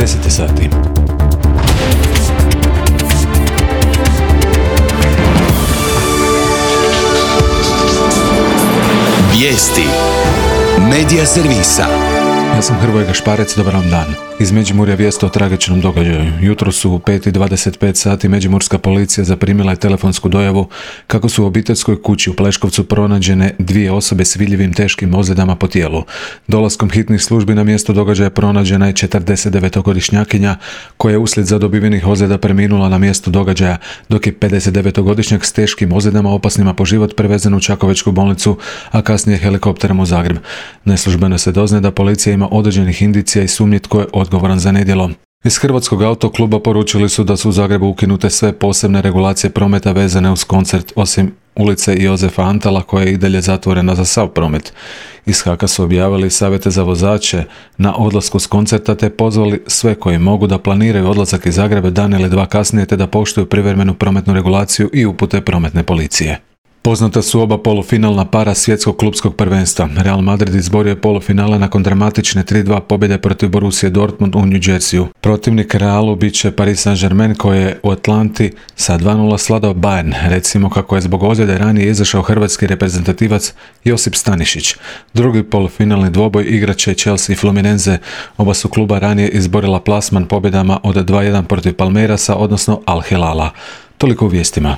10 sati. Vijesti Medija servisa. Ja sam Hrvoje Gašparec, dobar vam dan. Iz Međimurja vijest o tragičnom događaju. Jutro su u 5:25 sati međimurska policija zaprimila je telefonsku dojavu kako su u obiteljskoj kući u Pleškovcu pronađene 2 osobe s vidljivim teškim ozljedama po tijelu. Dolaskom hitnih službi na mjesto događaja pronađena je 49-godišnjakinja koja je uslijed zadobivenih ozljeda preminula na mjestu događaja, dok je 59-godišnjak s teškim ozljedama opasnima po život prevezen u Čakovečku bolnicu, a kasnije helikopterom u Zagreb. Neslužbeno se doznaje da policija ima određenih indicija i sumnji tko je odgovoran za nedjelo. Iz Hrvatskog autokluba poručili su da su u Zagrebu ukinute sve posebne regulacije prometa vezane uz koncert, osim ulice Jozefa Antala koja je i dalje zatvorena za sav promet. Iz HAK-a su objavili savjete za vozače na odlasku s koncerta te pozvali sve koji mogu da planiraju odlazak iz Zagreba dan ili dva kasnije te da poštuju privremenu prometnu regulaciju i upute prometne policije. Poznata su oba polufinalna para svjetskog klupskog prvenstva. Real Madrid izborio je polufinale nakon dramatične 3:2 pobjede protiv Borussia Dortmund u New Jerseyu. Protivnik Realu bit će Paris Saint-Germain koji je u Atlanti sa 2:0 sladao Bayern. Recimo kako je zbog ozljede ranije izašao hrvatski reprezentativac Josip Stanišić. Drugi polufinalni dvoboj igraće Chelsea i Fluminense. Oba su kluba ranije izborila plasman pobjedama od 2:1 protiv Palmeirasa, odnosno Al Hilala. Toliko u vijestima.